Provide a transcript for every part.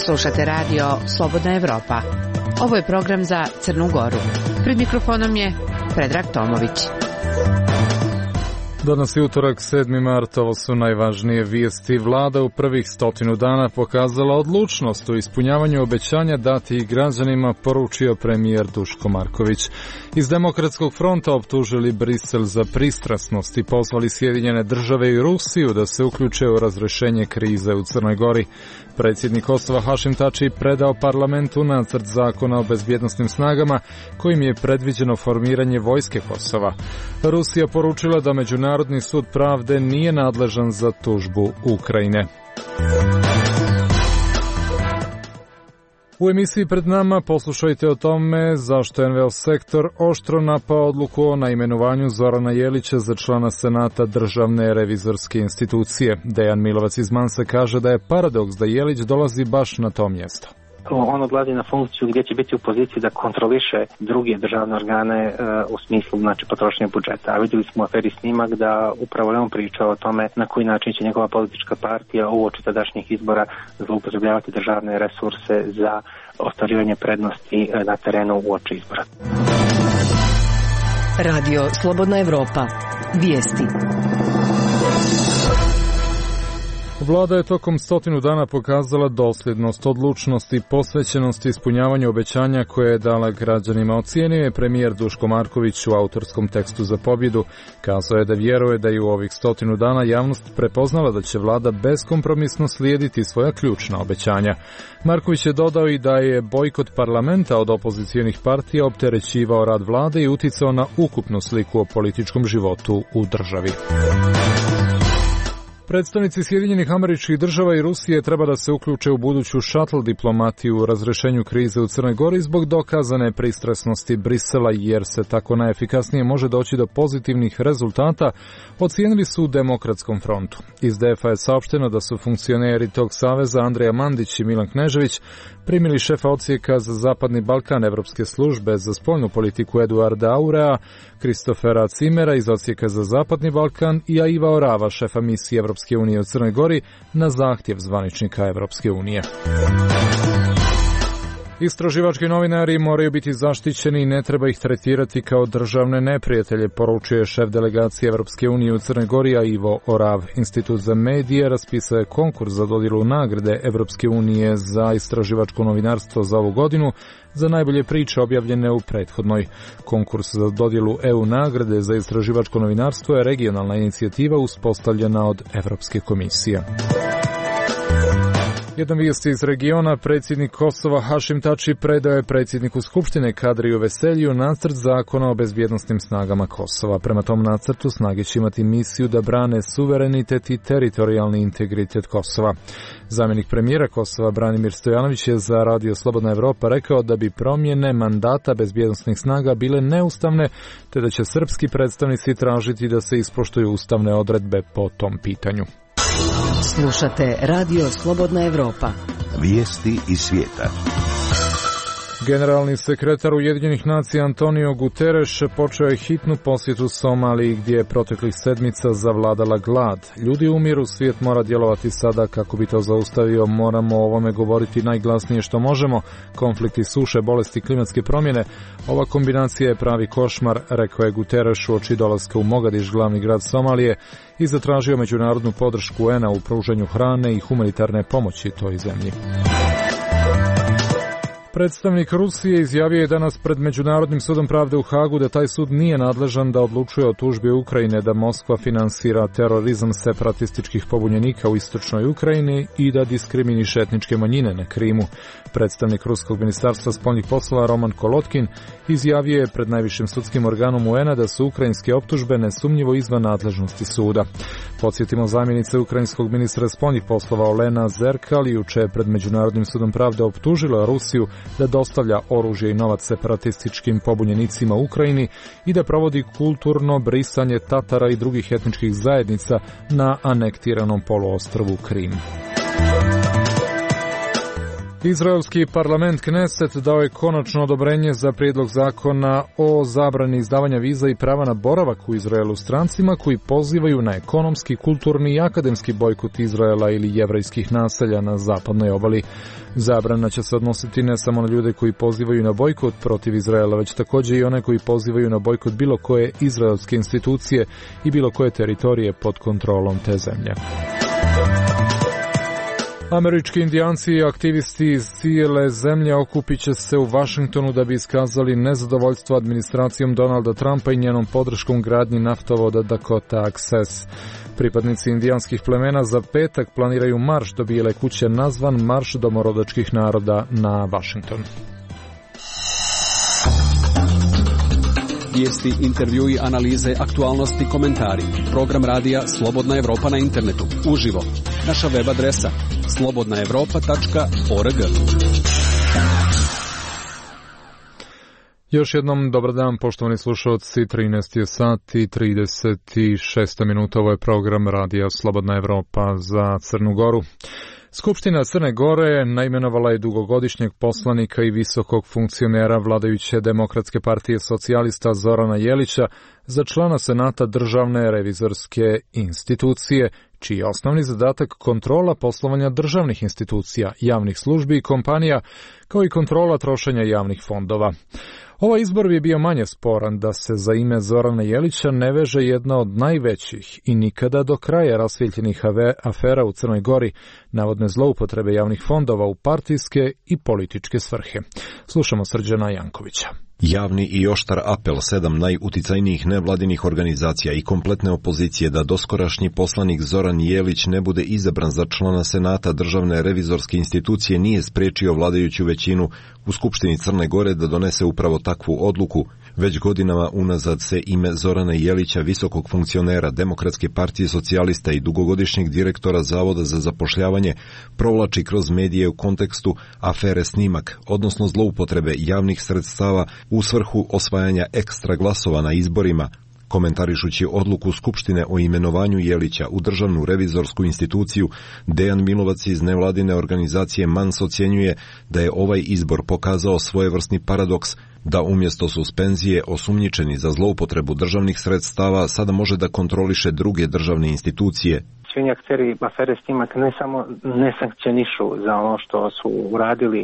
Slušate radio Slobodna Evropa. Ovo je program za Crnu Goru. Pred mikrofonom je Predrag Tomović. Danas je utorak, 7. mart, ovo su najvažnije vijesti. Vlada u prvih 100 dana pokazala odlučnost u ispunjavanju obećanja datih građanima, poručio premijer Duško Marković. Iz Demokratskog fronta optužili Brisel za pristrasnost i pozvali Sjedinjene Države i Rusiju da se uključe u razrješenje krize u Crnoj Gori. Predsjednik Kosova Hašim Tači predao parlamentu nacrt zakona o bezbjednosnim snagama kojim je predviđeno formiranje vojske Kosova. Rusija poručila da Međunarodni sud pravde nije nadležan za tužbu Ukrajine. U emisiji pred nama poslušajte o tome zašto je NVO sektor oštro napao odluku o naimenovanju Zorana Jelića za člana Senata Državne revizorske institucije. Dejan Milovac iz Mansa kaže da je paradoks da Jelić dolazi baš na to mjesto. On odlazi na funkciju gdje će biti u poziciji da kontroliše druge državne organe u smislu potrošnje budžeta. A vidjeli smo u aferi Snimak da upravo on pričao o tome na koji način će njegova politička partija uoči tadašnjih izbora zloupotrebljavati državne resurse za ostvarivanje prednosti na terenu uoči izbora. Radio Slobodna Evropa. Vijesti. Vlada je tokom 100 dana pokazala dosljednost, odlučnost i posvećenost ispunjavanju obećanja koje je dala građanima. Ocijenio je premijer Duško Marković u autorskom tekstu za pobjedu. Kazao je da vjeruje da je u ovih 100 dana javnost prepoznala da će vlada beskompromisno slijediti svoja ključna obećanja. Marković je dodao i da je bojkot parlamenta od opozicijonih partija opterećivao rad vlade i uticao na ukupnu sliku o političkom životu u državi. Predstavnici Sjedinjenih Američkih Država i Rusije treba da se uključe u buduću šatl diplomatiju u razrješenju krize u Crnoj Gori zbog dokazane pristrasnosti Brisela, jer se tako najefikasnije može doći do pozitivnih rezultata, ocijenili su u Demokratskom frontu. Iz DF-a je saopšteno da su funkcioneri tog saveza Andrija Mandić i Milan Knežević primili šefa odsjeka za Zapadni Balkan Evropske službe za spoljnu politiku Eduarda Aurea, Kristofera Cimera iz odsjeka za Zapadni Balkan i Aiva Orava, šefa misije Evropske unije u Crnoj Gori, na zahtjev zvaničnika Evropske unije. Istraživački novinari moraju biti zaštićeni i ne treba ih tretirati kao državne neprijatelje, poručio je šef delegacije Evropske unije u Crnoj Gori Aivo Orav. Institut za medije raspisao je konkurs za dodjelu nagrade Evropske unije za istraživačko novinarstvo za ovu godinu za najbolje priče objavljene u prethodnoj. Konkurs za dodjelu EU nagrade za istraživačko novinarstvo je regionalna inicijativa uspostavljena od Evropske komisije. Jedan vijest iz regiona, predsjednik Kosova Hašim Tači predao je predsjedniku Skupštine Kadriju Veseliju nacrt zakona o bezbjednosnim snagama Kosova. Prema tom nacrtu snage će imati misiju da brane suverenitet i teritorijalni integritet Kosova. Zamjenik premijera Kosova Branimir Stojanović je za Radio Slobodna Evropa rekao da bi promjene mandata bezbjednosnih snaga bile neustavne, te da će srpski predstavnici tražiti da se ispoštuju ustavne odredbe po tom pitanju. Slušate Radio Slobodna Evropa. Vijesti iz svijeta. Generalni sekretar Ujedinjenih nacija Antonio Guterres počeo je hitnu posjetu Somaliji gdje je proteklih sedmica zavladala glad. Ljudi umiru, svijet mora djelovati sada kako bi to zaustavio. Moramo o ovome govoriti najglasnije što možemo. Konflikti, suše, bolesti, klimatske promjene. Ova kombinacija je pravi košmar, rekao je Guterres uoči dolaska u Mogadiš, glavni grad Somalije, i zatražio međunarodnu podršku UN-a u pružanju hrane i humanitarne pomoći toj zemlji. Predstavnik Rusije izjavio je danas pred Međunarodnim sudom pravde u Hagu da taj sud nije nadležan da odlučuje o tužbi Ukrajine, da Moskva finansira terorizam separatističkih pobunjenika u istočnoj Ukrajini i da diskriminiše etničke manjine na Krimu. Predstavnik Ruskog ministarstva spoljnih poslova Roman Kolotkin izjavio je pred najvišim sudskim organom UN-a da su ukrajinske optužbe nesumnjivo izvan nadležnosti suda. Podsjetimo, zamjenica ukrajinskog ministra spoljnih poslova Olena Zerkal juče je pred Međunarodnim sudom pravde optužila Rusiju da dostavlja oružje i novac separatističkim pobunjenicima u Ukrajini i da provodi kulturno brisanje Tatara i drugih etničkih zajednica na anektiranom poluostrvu Krim. Izraelski parlament Kneset dao je konačno odobrenje za prijedlog zakona o zabrani izdavanja viza i prava na boravak u Izraelu strancima koji pozivaju na ekonomski, kulturni i akademski bojkot Izraela ili jevrejskih naselja na zapadnoj obali. Zabrana će se odnositi ne samo na ljude koji pozivaju na bojkot protiv Izraela, već također i one koji pozivaju na bojkot bilo koje izraelske institucije i bilo koje teritorije pod kontrolom te zemlje. Američki indijanci i aktivisti iz cijele zemlje okupit će se u Vašingtonu da bi iskazali nezadovoljstvo administracijom Donalda Trumpa i njenom podrškom gradnji naftovoda Dakota Access. Pripadnici indijanskih plemena za petak planiraju marš do Bijele kuće nazvan Marš domorodačkih naroda na Vašington. Vijesti, intervjui, analize, aktualnosti, komentari. Program radija Slobodna Evropa na internetu. Uživo. Naša web adresa slobodnaevropa.org. Još jednom dobar dan, poštovani slušalci, 13 je sat i 36 minuta. Ovo je program radija Slobodna Evropa za Crnu Goru. Skupština Crne Gore naimenovala je dugogodišnjeg poslanika i visokog funkcionera vladajuće Demokratske partije socijalista Zorana Jelića za člana Senata Državne revizorske institucije, čiji je osnovni zadatak kontrola poslovanja državnih institucija, javnih službi i kompanija, kao i kontrola trošenja javnih fondova. Ovaj izbor bi bio manje sporan da se za ime Zorana Jelića ne veže jedna od najvećih i nikada do kraja rasvijetljenih afera u Crnoj Gori, navodne zloupotrebe javnih fondova u partijske i političke svrhe. Slušamo Srđana Jankovića. Javni i oštar apel 7 najuticajnijih nevladinih organizacija i kompletne opozicije da doskorašnji poslanik Zoran Jelić ne bude izabran za člana Senata Državne revizorske institucije nije spriječio vladajuću većinu u Skupštini Crne Gore da donese upravo takvu odluku. Već godinama unazad se ime Zorana Jelića, visokog funkcionera Demokratske partije socijalista i dugogodišnjeg direktora Zavoda za zapošljavanje, provlači kroz medije u kontekstu afere Snimak, odnosno zloupotrebe javnih sredstava u svrhu osvajanja ekstra glasova na izborima. Komentarišući odluku Skupštine o imenovanju Jelića u Državnu revizorsku instituciju, Dejan Milovac iz nevladine organizacije MANS ocjenjuje da je ovaj izbor pokazao svojevrsni paradoks, da umjesto suspenzije osumnjičeni za zloupotrebu državnih sredstava sada može da kontroliše druge državne institucije. Svi akteri afere Snimak ne samo ne sankcionišu za ono što su uradili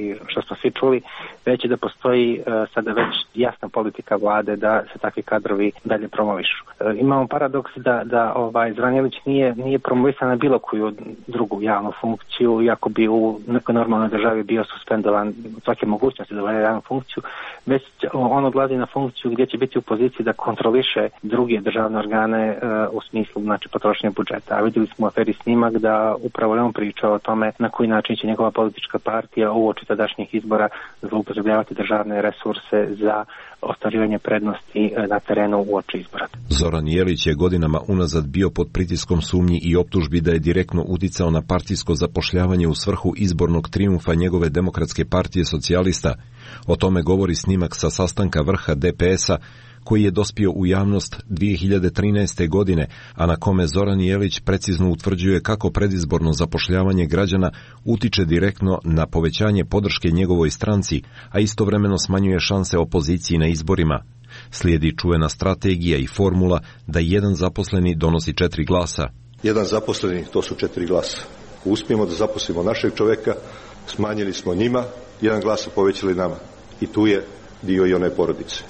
i što smo svi čuli, već da postoji sada već jasna politika vlade da se takvi kadrovi dalje promovišu. Imamo paradoks da Zoran Jelić nije promovisan na bilo koju drugu javnu funkciju, iako bi u nekoj normalnoj državi bio suspendovan svake mogućnosti da obavlja javnu funkciju, već on odlazi na funkciju gdje će biti u poziciji da kontroliše druge državne organe u smislu potrošnje budžeta. A vidjeli smo u aferi Snimak da upravo on pričao o tome na koji način će njegova politička partija uoči tadašnjih izbora zloupotrebljavati državne resurse za ostvarivanje prednosti na terenu uoči izbora. Zoran Jelić je godinama unazad bio pod pritiskom sumnji i optužbi da je direktno uticao na partijsko zapošljavanje u svrhu izbornog trijumfa njegove Demokratske partije socijalista. O tome govori snimak sa sastanka vrha DPS-a koji je dospio u javnost 2013. godine, a na kome Zoran Jelić precizno utvrđuje kako predizborno zapošljavanje građana utiče direktno na povećanje podrške njegovoj stranci, a istovremeno smanjuje šanse opoziciji na izborima. Slijedi čuvena strategija i formula da jedan zaposleni donosi 4 glasa. Jedan zaposleni, to su 4 glasa. Uspijemo da zaposlimo našeg čovjeka, smanjili smo njima, 1 glas su povećali nama. I tu je dio i one porodice.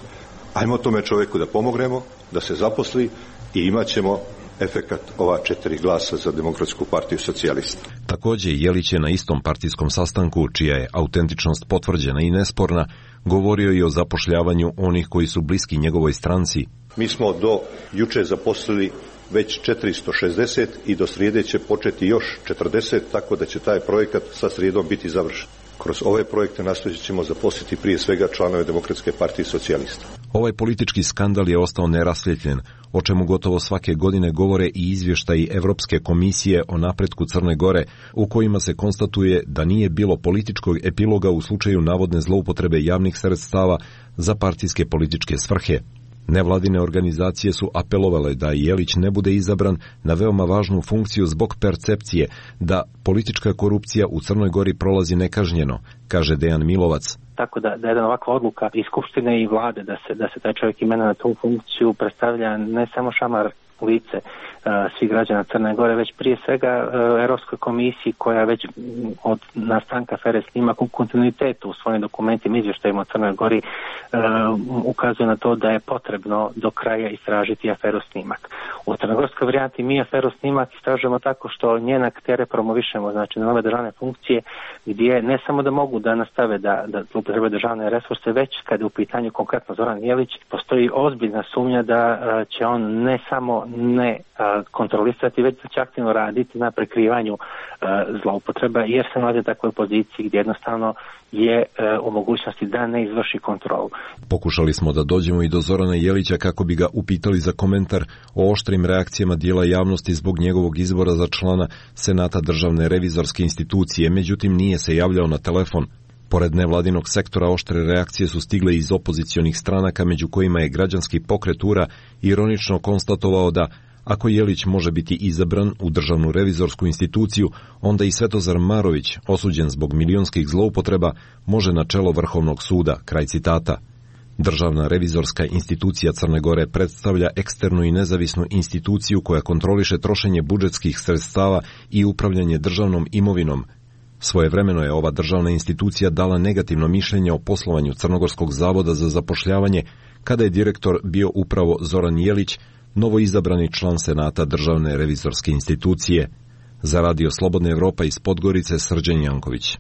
Ajmo tome čovjeku da pomognemo, da se zaposli i imat ćemo efekat ova 4 glasa za Demokratsku partiju socijalista. Također Jelić je na istom partijskom sastanku, čija je autentičnost potvrđena i nesporna, govorio i o zapošljavanju onih koji su bliski njegovoj stranci. Mi smo do juče zaposlili već 460 i do srijede će početi još 40, tako da će taj projekat sa srijedom biti završen. Kroz ove projekte nastojat ćemo zaposliti prije svega članove Demokratske partije socijalista. Ovaj politički skandal je ostao nerasvjetljen, o čemu gotovo svake godine govore i izvještaji Evropske komisije o napretku Crne Gore, u kojima se konstatuje da nije bilo političkog epiloga u slučaju navodne zloupotrebe javnih sredstava za partijske političke svrhe. Nevladine organizacije su apelovale da Jelić ne bude izabran na veoma važnu funkciju zbog percepcije da politička korupcija u Crnoj Gori prolazi nekažnjeno, kaže Dejan Milovac. Tako da jedna ovakva odluka i Skupštine i vlade da se taj čovjek imenuje na tu funkciju predstavlja ne samo šamar lice svih građana Crne Gore, već prije svega Europskoj komisiji koja već od nastanka afere Snimak u kontinuitetu u svojim dokumentima, izvještajima o Crnoj Gori ukazuje na to da je potrebno do kraja istražiti aferu Snimak. U crnogorskoj varijanti mi aferu Snimak istražujemo tako što njene aktere promovišemo, znači na nove državne funkcije gdje ne samo da mogu da nastave da zloupotrebe državne resurse, već kada je u pitanju konkretno Zoran Jelić, postoji ozbiljna sumnja da će on ne samo ne kontrolisati, već da će aktivno raditi na prekrivanju zloupotreba, jer se nalazi u takvoj poziciji gdje jednostavno je u mogućnosti da ne izvrši kontrolu. Pokušali smo da dođemo i do Zorana Jelića kako bi ga upitali za komentar o oštrim reakcijama dijela javnosti zbog njegovog izbora za člana Senata Državne revizorske institucije, međutim nije se javljao na telefon. Pored nevladinog sektora, oštre reakcije su stigle iz opozicionih stranaka, među kojima je građanski pokret URA ironično konstatovao da ako Jelić može biti izabran u Državnu revizorsku instituciju, onda i Svetozar Marović, osuđen zbog milionskih zloupotreba, može na čelo Vrhovnog suda, kraj citata. Državna revizorska institucija Crne Gore predstavlja eksternu i nezavisnu instituciju koja kontroliše trošenje budžetskih sredstava i upravljanje državnom imovinom. Svojevremeno je ova državna institucija dala negativno mišljenje o poslovanju Crnogorskog zavoda za zapošljavanje, kada je direktor bio upravo Zoran Jelić, novoizabrani član Senata Državne revizorske institucije. Za Radio Slobodna Evropa iz Podgorice, Srđan Janković.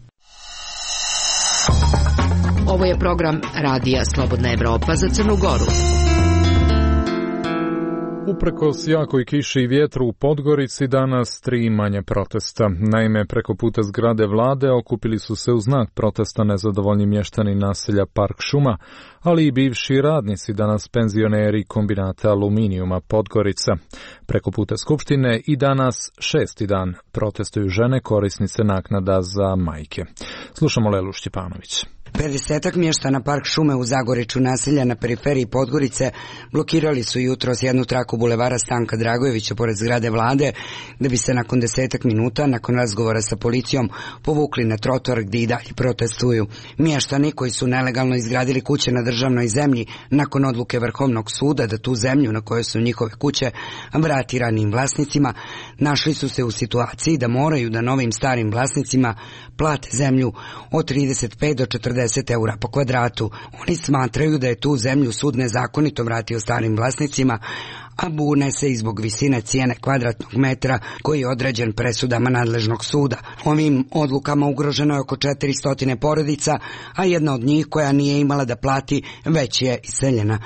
Ovo je program Radija Slobodna Evropa za Crnu Goru. Uprkos jakoj kiši i vjetru u Podgorici danas 3 manje protesta. Naime, preko puta zgrade vlade okupili su se u znak protesta nezadovoljni mještani naselja Park Šuma, ali i bivši radnici, danas penzioneri kombinata aluminijuma Podgorica. Preko puta Skupštine i danas 6. dan protestuju žene korisnice naknada za majke. Slušamo Lelu Štjepanović. 50 mještana Park Šume u Zagoreču, naselja na periferiji Podgorice, blokirali su jutros jednu traku bulevara Stanka Dragojevića pored zgrade vlade, da bi se nakon 10 minuta, nakon razgovora sa policijom, povukli na trotoar gdje i dalje protestuju. Mještani koji su nelegalno izgradili kuće na državnoj zemlji nakon odluke Vrhovnog suda da tu zemlju na kojoj su njihove kuće vrati ranijim vlasnicima, našli su se u situaciji da moraju da novim starim vlasnicima plate zemlju od 35 do 40 eura po kvadratu. Oni smatraju da je tu zemlju sud nezakonito vratio starim vlasnicima, a bune se i zbog visine cijene kvadratnog metra koji je određen presudama nadležnog suda. Ovim odlukama ugroženo je oko 400 porodica, a jedna od njih koja nije imala da plati već je iseljena.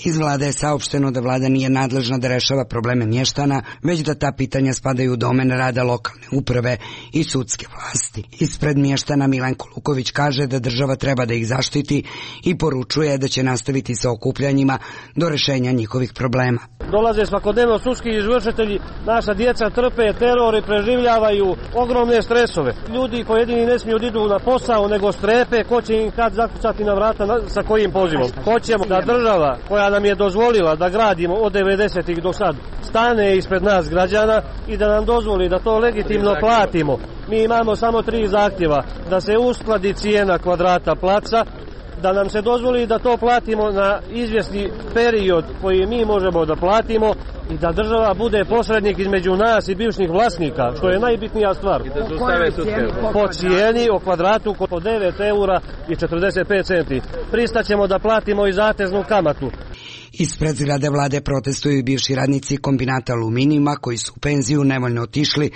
Iz vlade je saopšteno da vlada nije nadležna da rešava probleme mještana, već da ta pitanja spadaju u domen rada lokalne uprave i sudske vlasti. Ispred mještana Milenko Luković kaže da država treba da ih zaštiti i poručuje da će nastaviti sa okupljanjima do rešenja njihovih problema. Dolaze svakodnevno sudski izvršitelji, naša djeca trpe teror i preživljavaju ogromne stresove. Ljudi pojedini ne smiju da idu na posao, nego strepe ko će im kad zakucati na vrata sa kojim pozivom. Hoćemo da država koja nam je dozvolila da gradimo od 90-ih do sad stane ispred nas građana i da nam dozvoli da to legitimno platimo. Mi imamo samo 3 zahtjeva: da se uskladi cijena kvadrata placa, da nam se dozvoli da to platimo na izvjesni period koji mi možemo da platimo i da država bude posrednik između nas i bivših vlasnika, što je najbitnija stvar. Po cijeni o kvadratu po 9 eura i 45 centi. Pristaćemo da platimo i zateznu kamatu. Ispred zgrade vlade protestuju i bivši radnici kombinata aluminijuma koji su u penziju nevoljno otišli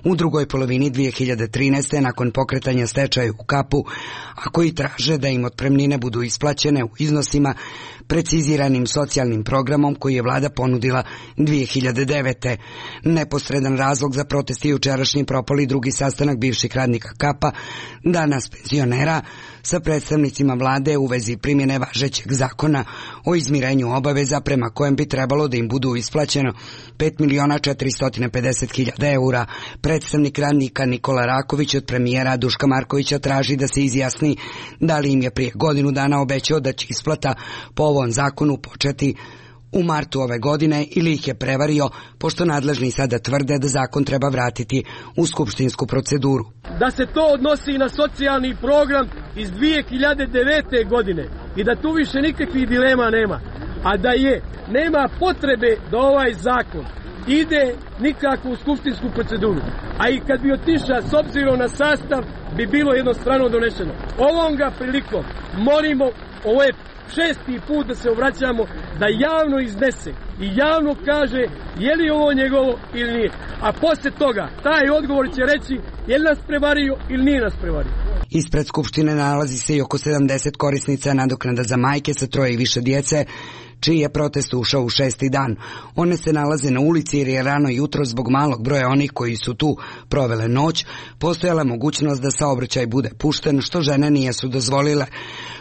u drugoj polovini 2013. nakon pokretanja stečaja u Kapu, a koji traže da im otpremnine budu isplaćene u iznosima preciziranim socijalnim programom koji je vlada ponudila 2009. Neposredan razlog za protest je jučerašnji propali drugi sastanak bivših radnika Kapa, danas penzionera, sa predstavnicima vlade u vezi primjene važećeg zakona o izmirenju obaveza prema kojem bi trebalo da im budu isplaćeno 5.450.000 eura. Predstavnik radnika Nikola Raković od premijera Duška Markovića traži da se izjasni da li im je prije godinu dana obećao da će isplata po ovom zakonu početi u martu ove godine ili ih je prevario, pošto nadležni sada tvrde da zakon treba vratiti u skupštinsku proceduru. Da se to odnosi na socijalni program iz 2009. godine i da tu više nikakvih dilema nema, a da nema potrebe da ovaj zakon ide nikako u skupštinsku proceduru. A i kad bi otišao s obzirom na sastav, bi bilo jednostrano donešeno. Ovom ga prilikom molimo, ovo je 6. put da se obraćamo, da javno iznese i javno kaže je li ovo njegovo ili nije. A poslije toga taj odgovor će reći je li nas prevario ili nije nas prevario. Ispred Skupštine nalazi se i oko 70 korisnica nadoknada za majke sa 3 i više djece, čiji je protest ušao u 6. dan. One se nalaze na ulici jer je rano jutro zbog malog broja onih koji su tu provele noć postojala mogućnost da saobraćaj bude pušten, što žene nijesu dozvolile.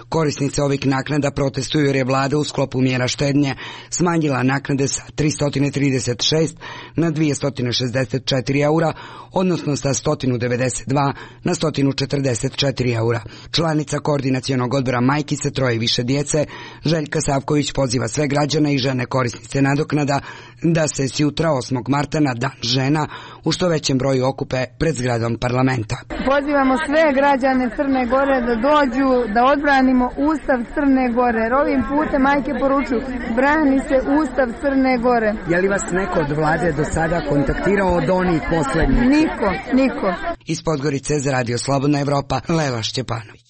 Korisnice ovih naknada protestuju jer je vlada u sklopu mjera štednje smanjila naknade sa 336 na 264 eura, odnosno sa 192 na 144 eura. Članica koordinacionog odbora majki sa 3 i više djece, Željka Savković, poziva sve građane i žene korisnice nadoknada da se s jutra 8. marta na Dan žena u što većem broju okupe pred zgradom parlamenta. Pozivamo sve građane Crne Gore da dođu, da odbranimo Ustav Crne Gore. Jer ovim putem majke poručuju, brani se Ustav Crne Gore. Je li vas neko od vlade do sada kontaktirao od onih poslednjih? Niko. Iz Podgorice za Radio Slobodna Evropa, Lela Šćepanović.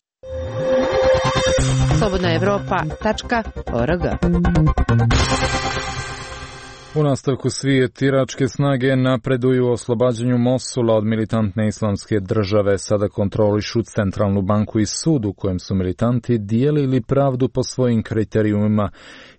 slobodnaevropa.org. U nastavku svijet, iračke snage napreduju u oslobađanju Mosula od militantne islamske države. Sada kontrolišu centralnu banku i sud u kojem su militanti dijelili pravdu po svojim kriterijumima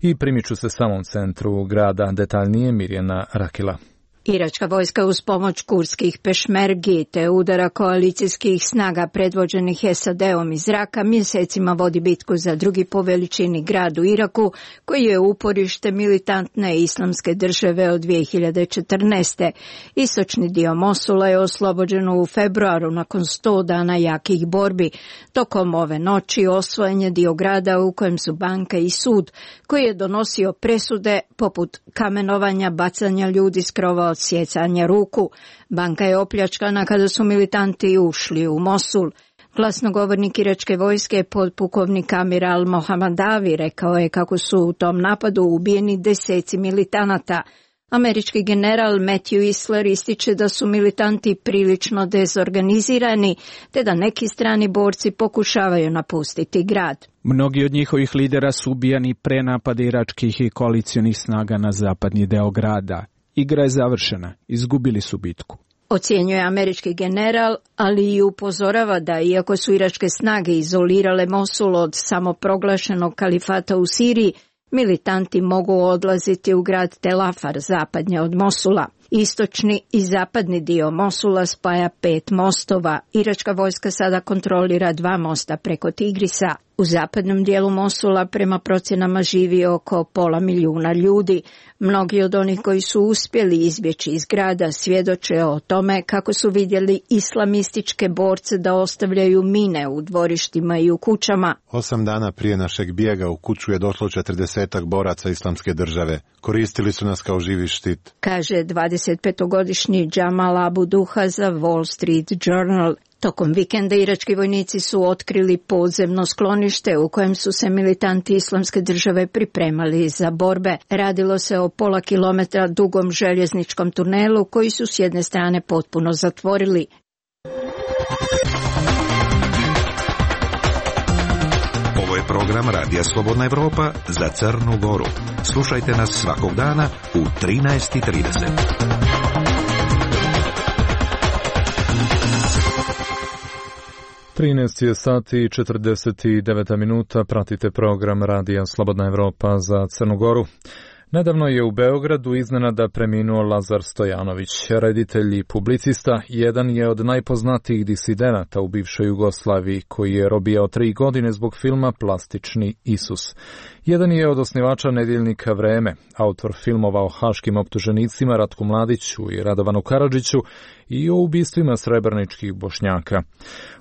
i primiču se samom centru grada. Detaljnije Mirjana Rakila. Iračka vojska uz pomoć kurdskih pešmergi te udara koalicijskih snaga predvođenih SAD-om iz zraka mjesecima vodi bitku za drugi po veličini grad u Iraku, koji je uporište militantne islamske države od 2014. Istočni dio Mosula je oslobođen u februaru nakon 100 dana jakih borbi. Tokom ove noći osvojen je dio grada u kojem su banka i sud, koji je donosio presude poput kamenovanja, bacanja ljudi s krova, odsjecanja ruku. Banka je opljačkana kada su militanti ušli u Mosul. Glasnogovornik iračke vojske, podpukovnik Amir al-Mohammadavi, rekao je kako su u tom napadu ubijeni deseci militanata. Američki general Matthew Isler ističe da su militanti prilično dezorganizirani, te da neki strani borci pokušavaju napustiti grad. Mnogi od njihovih lidera su ubijani pre napada iračkih i koalicionih snaga na zapadni deo grada. Igra je završena, izgubili su bitku. Ocjenjuje američki general, ali i upozorava da iako su iračke snage izolirale Mosul od samoproglašenog kalifata u Siriji, militanti mogu odlaziti u grad Tel Afar, zapadnje od Mosula. Istočni i zapadni dio Mosula spaja 5 mostova. Iračka vojska sada kontrolira 2 mosta preko Tigrisa. U zapadnom dijelu Mosula prema procjenama živi oko 500.000 ljudi. Mnogi od onih koji su uspjeli izbjeći iz grada svjedoče o tome kako su vidjeli islamističke borce da ostavljaju mine u dvorištima i u kućama. 8 dana prije našeg bijega u kuću je došlo 40 boraca islamske države. Koristili su nas kao živi štit, kaže 25-godišnji Jamal Abu Duha za Wall Street Journal. Tokom vikenda irački vojnici su otkrili podzemno sklonište u kojem su se militanti islamske države pripremali za borbe. Radilo se o pola kilometra dugom željezničkom tunelu koji su s jedne strane potpuno zatvorili. Ovo je program Radija Slobodna Evropa za Crnu Goru. Slušajte nas svakog dana u 13:30. 13 sati i 49 minuta, pratite program Radija Slobodna Evropa za Crnu Goru. Nedavno je u Beogradu iznenada preminuo Lazar Stojanović, reditelj i publicista. Jedan je od najpoznatijih disidenata u bivšoj Jugoslaviji, koji je robijao 3 godine zbog filma Plastični Isus. Jedan je od osnivača nedjeljnika Vreme, autor filmova o haškim optuženicima Ratku Mladiću i Radovanu Karadžiću i o ubistvima srebreničkih Bošnjaka.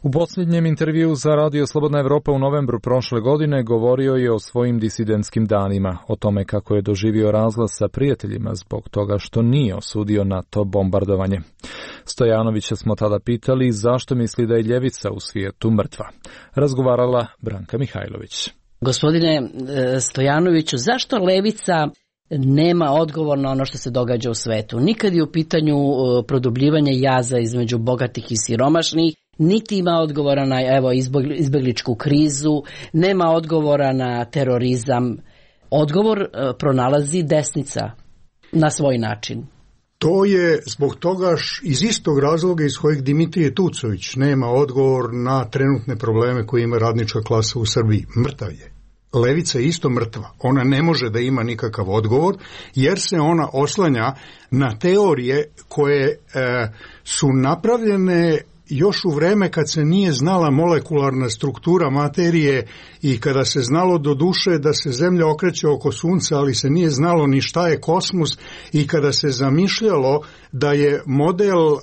U posljednjem intervjuu za Radio Slobodna Evropa u novembru prošle godine govorio je o svojim disidentskim danima, o tome kako je doživio razlaz sa prijateljima zbog toga što nije osudio NATO bombardovanje. Stojanovića smo tada pitali zašto misli da je ljevica u svijetu mrtva. Razgovarala Branka Mihajlović. Gospodine Stojanoviću, zašto levica nema odgovor na ono što se događa u svetu? Nikad je u pitanju produbljivanje jaza između bogatih i siromašnih, niti ima odgovora na izbjegličku krizu, nema odgovora na terorizam. Odgovor pronalazi desnica na svoj način. To je zbog toga iz istog razloga iz kojeg Dimitrije Tucović nema odgovor na trenutne probleme koje ima radnička klasa u Srbiji. Mrtav je. Levica je isto mrtva. Ona ne može da ima nikakav odgovor jer se ona oslanja na teorije koje su napravljene još u vreme kad se nije znala molekularna struktura materije i kada se znalo do duše da se Zemlja okreće oko Sunca, ali se nije znalo ni šta je kosmos, i kada se zamišljalo da je model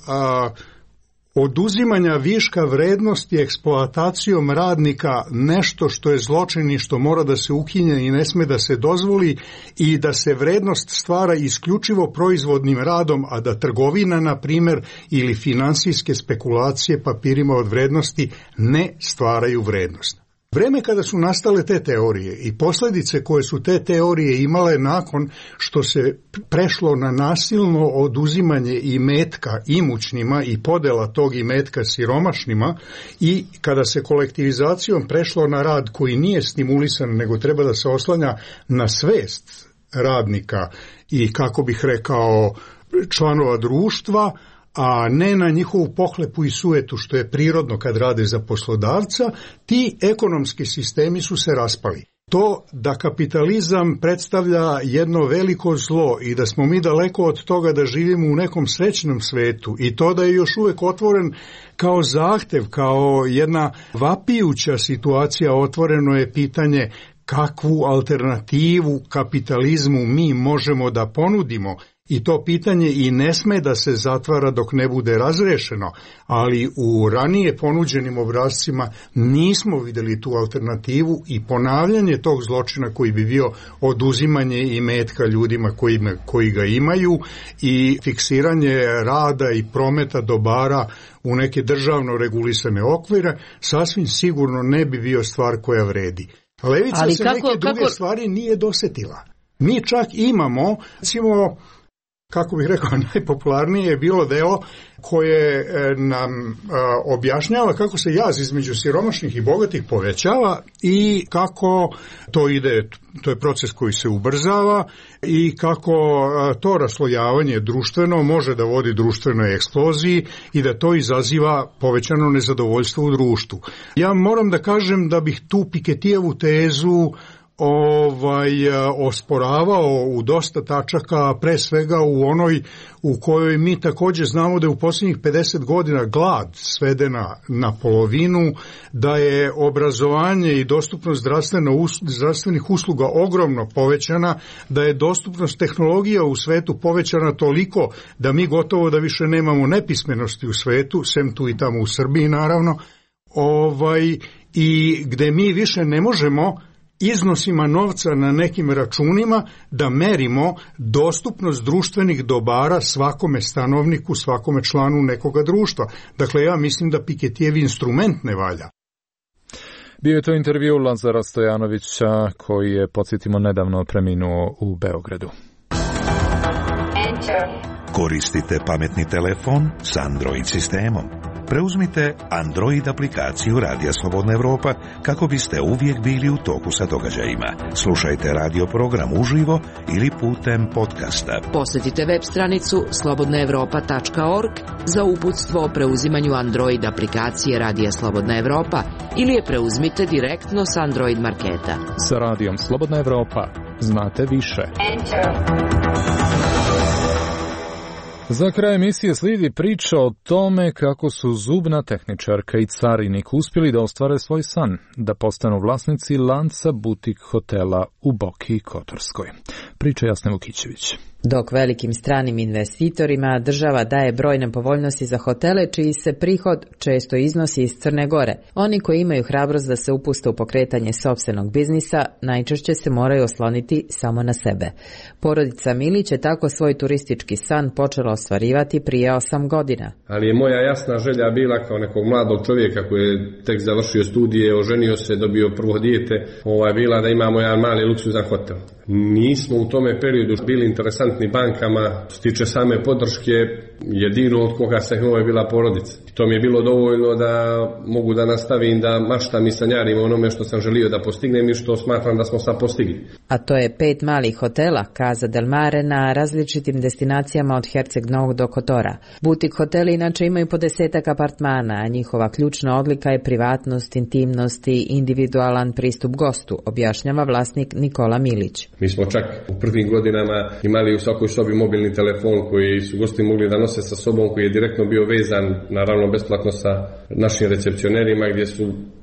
oduzimanja viška vrednosti eksploatacijom radnika nešto što je zločin i što mora da se ukine i ne sme da se dozvoli, i da se vrednost stvara isključivo proizvodnim radom, a da trgovina, na primjer, ili finansijske spekulacije papirima od vrednosti ne stvaraju vrednost. Vreme kada su nastale te teorije i posljedice koje su te teorije imale nakon što se prešlo na nasilno oduzimanje imetka imućnima i podela tog imetka siromašnima, i kada se kolektivizacijom prešlo na rad koji nije stimulisan nego treba da se oslanja na svest radnika i, kako bih rekao, članova društva, a ne na njihovu pohlepu i sujetu što je prirodno kad rade za poslodavca, ti ekonomski sistemi su se raspali. To da kapitalizam predstavlja jedno veliko zlo i da smo mi daleko od toga da živimo u nekom srećnom svetu, i to da je još uvijek otvoren kao zahtev, kao jedna vapijuća situacija, otvoreno je pitanje kakvu alternativu kapitalizmu mi možemo da ponudimo. I to pitanje i ne sme da se zatvara dok ne bude razrešeno, ali u ranije ponuđenim obrascima nismo vidjeli tu alternativu, i ponavljanje tog zločina koji bi bio oduzimanje imetka ljudima koji ga imaju i fiksiranje rada i prometa dobara u neke državno regulisane okvire, sasvim sigurno ne bi bio stvar koja vredi. Levica se neke druge stvari nije dosetila. Mi čak imamo, recimo, kako bih rekao, najpopularnije je bilo delo koje nam objašnjava kako se jaz između siromašnih i bogatih povećava i kako to ide, to je proces koji se ubrzava, i kako to raslojavanje društveno može da vodi društvenoj eksploziji i da to izaziva povećano nezadovoljstvo u društvu. Ja moram da kažem da bih tu Piketijevu tezu osporavao u dosta tačaka, pre svega u onoj u kojoj mi također znamo da je u posljednjih 50 godina glad svedena na polovinu, da je obrazovanje i dostupnost zdravstvenih usluga ogromno povećana, da je dostupnost tehnologija u svetu povećana toliko da mi gotovo da više nemamo nepismenosti u svetu, sem tu i tamo u Srbiji naravno, i gde mi više ne možemo iznosima novca na nekim računima da merimo dostupnost društvenih dobara svakome stanovniku, svakome članu nekoga društva. Dakle, ja mislim da Piketijev instrument ne valja. Bio je to intervju Lazara Stojanovića, koji je, podsjetimo, nedavno preminuo u Beogradu. Koristite pametni telefon s Android sistemom. Preuzmite Android aplikaciju Radija Slobodna Evropa kako biste uvijek bili u toku sa događajima. Slušajte radio program uživo ili putem podcasta. Posjetite web stranicu slobodnaevropa.org za uputstvo o preuzimanju Android aplikacije Radija Slobodna Evropa ili je preuzmite direktno s Android marketa. Sa Radijom Slobodna Evropa znate više. Za kraj emisije slijedi priča o tome kako su zubna tehničarka i carinik uspjeli da ostvare svoj san, da postanu vlasnici lanca butik hotela u Boki Kotorskoj. Priča Jasne Vukićević. Dok velikim stranim investitorima država daje brojne povoljnosti za hotele čiji se prihod često iznosi iz Crne Gore, oni koji imaju hrabrost da se upuste u pokretanje sopstvenog biznisa najčešće se moraju osloniti samo na sebe. Porodica Milić je tako svoj turistički san počela ostvarivati prije 8 godina. Ali je moja jasna želja bila kao nekog mladog čovjeka koji je tek završio studije, oženio se, dobio prvo dijete, bila da imamo jedan mali luksuzan hotel. Nismo u tome periodu bili interesantni bankama, što se tiče same podrške, jedino od koga se je bila porodica. To mi je bilo dovoljno da mogu da nastavim da maštam i sanjarim onome što sam želio da postignem i što smatram da smo sad postigli. A to je 5 malih hotela, Casa del Mare, na različitim destinacijama od Herceg Novog do Kotora. Butik hoteli inače imaju po 10 apartmana, a njihova ključna odlika je privatnost, intimnost i individualan pristup gostu, objašnjava vlasnik Nikola Milić. Mi smo čak u prvim godinama imali u svakoj sobi mobilni telefon koji su gosti mogli da nose sa sobom, koji je direktno bio vezan, naravno besplatno sa našim recepcionerima,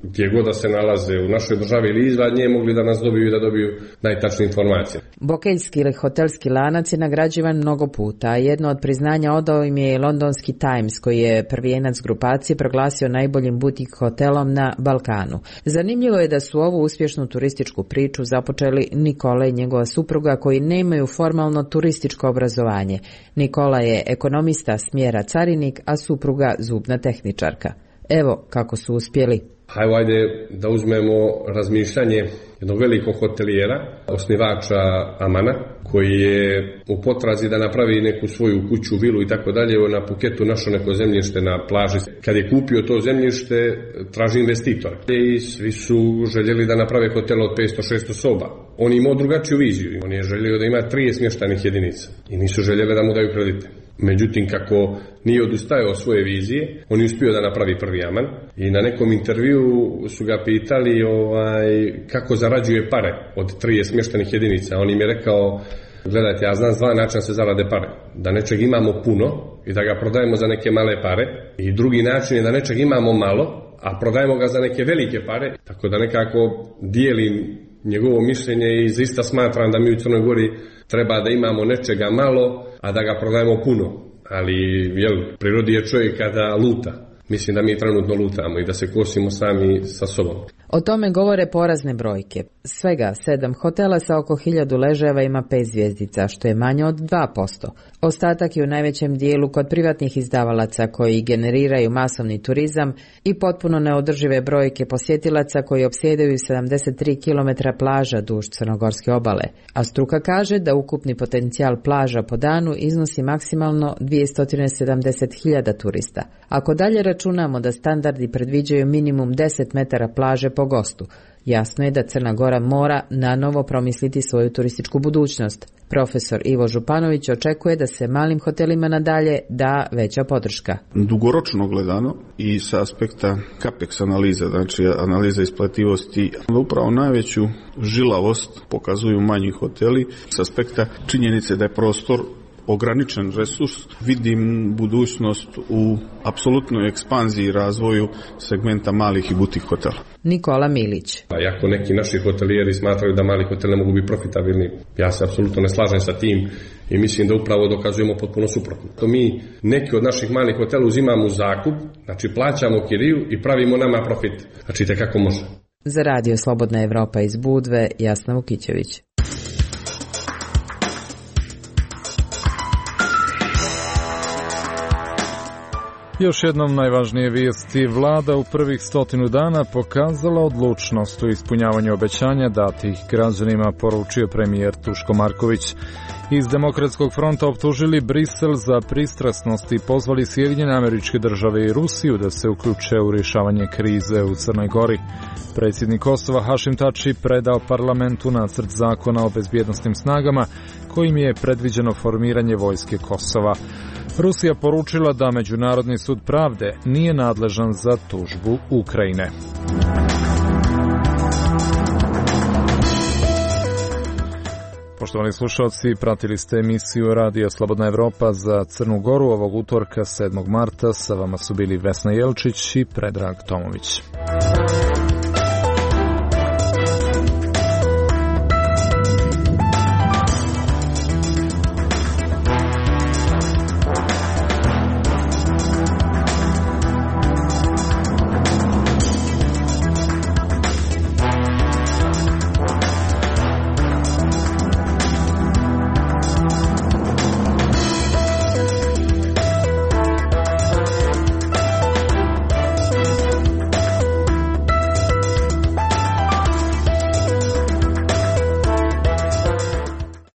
gdje god da se nalaze u našoj državi ili izvan nje, mogli da nas dobiju i da dobiju najtačnije informacije. Bokeljski ili hotelski lanac je nagrađivan mnogo puta, a jedno od priznanja odao im je i londonski Times, koji je prvijenac grupacije proglasio najboljim butik hotelom na Balkanu. Zanimljivo je da su ovu uspješnu turističku priču započeli Nikola i njegova supruga, koji nemaju formalno turističko obrazovanje. Nikola je ekonomista smjera carinik, a supruga zubna tehničarka. Evo kako su uspjeli. Hajde da uzmemo razmišljanje jednog velikog hotelijera, osnivača Amana, koji je u potrazi da napravi neku svoju kuću, vilu i tako dalje. Na Puketu našao neko zemljište na plaži. Kad je kupio to zemljište, traži investitora. I svi su željeli da naprave hotel od 500-600 soba. On imao drugačiju viziju. On je želio da ima 30 smještajnih jedinica. I nisu željeli da mu daju kredite. Međutim, kako nije odustajao od svoje vizije, on je uspio da napravi prvi Aman i na nekom intervju su ga pitali kako zarađuje pare od 30 smještajnih jedinica. On im je rekao, gledajte, ja znam 2 načina se zarade pare. Da nečeg imamo puno i da ga prodajemo za neke male pare, i drugi način je da nečeg imamo malo, a prodajemo ga za neke velike pare. Tako da nekako dijelim njegovo mišljenje i zaista smatram da mi u Crnoj Gori treba da imamo nečega malo, a da ga prodajemo puno. Ali, prirodi je čovjeka da luta. Mislim da mi trenutno lutamo i da se kosimo sami sa sobom. O tome govore porazne brojke. Svega 7 hotela sa oko 1000 ležajeva ima 5 zvjezdica, što je manje od 2%. Ostatak je u najvećem dijelu kod privatnih izdavalaca koji generiraju masovni turizam i potpuno neodržive brojke posjetilaca koji opsjedaju 73 km plaža duž crnogorske obale. A struka kaže da ukupni potencijal plaža po danu iznosi maksimalno 270.000 turista. Ako dalje računamo da standardi predviđaju minimum 10 metara plaže po gostu, jasno je da Crna Gora mora nanovo promisliti svoju turističku budućnost. Profesor Ivo Županović očekuje da se malim hotelima nadalje da veća podrška. Dugoročno gledano i sa aspekta capex analize, znači analiza isplativosti, upravo najveću žilavost pokazuju manji hoteli s aspekta činjenice da je prostor ograničen resurs. Vidim budućnost u apsolutnoj ekspanziji i razvoju segmenta malih i butik hotela. Nikola Milić. Iako neki naši hotelijeri smatraju da mali hoteli ne mogu biti profitabilni, ja se apsolutno ne slažem sa tim i mislim da upravo dokazujemo potpuno suprotno. To mi neki od naših malih hotela uzimamo u zakup, znači plaćamo kiriju i pravimo nama profit. Znači kako može. Za Radio Slobodna Evropa iz Budve, Jasna Vukićević. Još jednom najvažnije vijesti. Vlada u prvih 100 dana pokazala odlučnost u ispunjavanju obećanja datih građanima, poručio premijer Duško Marković. Iz Demokratskog fronta optužili Brisel za pristrasnost i pozvali Sjedinjene Američke Države i Rusiju da se uključe u rješavanje krize u Crnoj Gori. Predsjednik Kosova Hašim Tači predao parlamentu nacrt zakona o bezbjednosnim snagama kojim je predviđeno formiranje vojske Kosova. Rusija poručila da Međunarodni sud pravde nije nadležan za tužbu Ukrajine. Poštovani slušalci, pratili ste emisiju Radija Slobodna Evropa za Crnu Goru ovog utorka 7. marta. Sa vama su bili Vesna Jelčić i Predrag Tomović.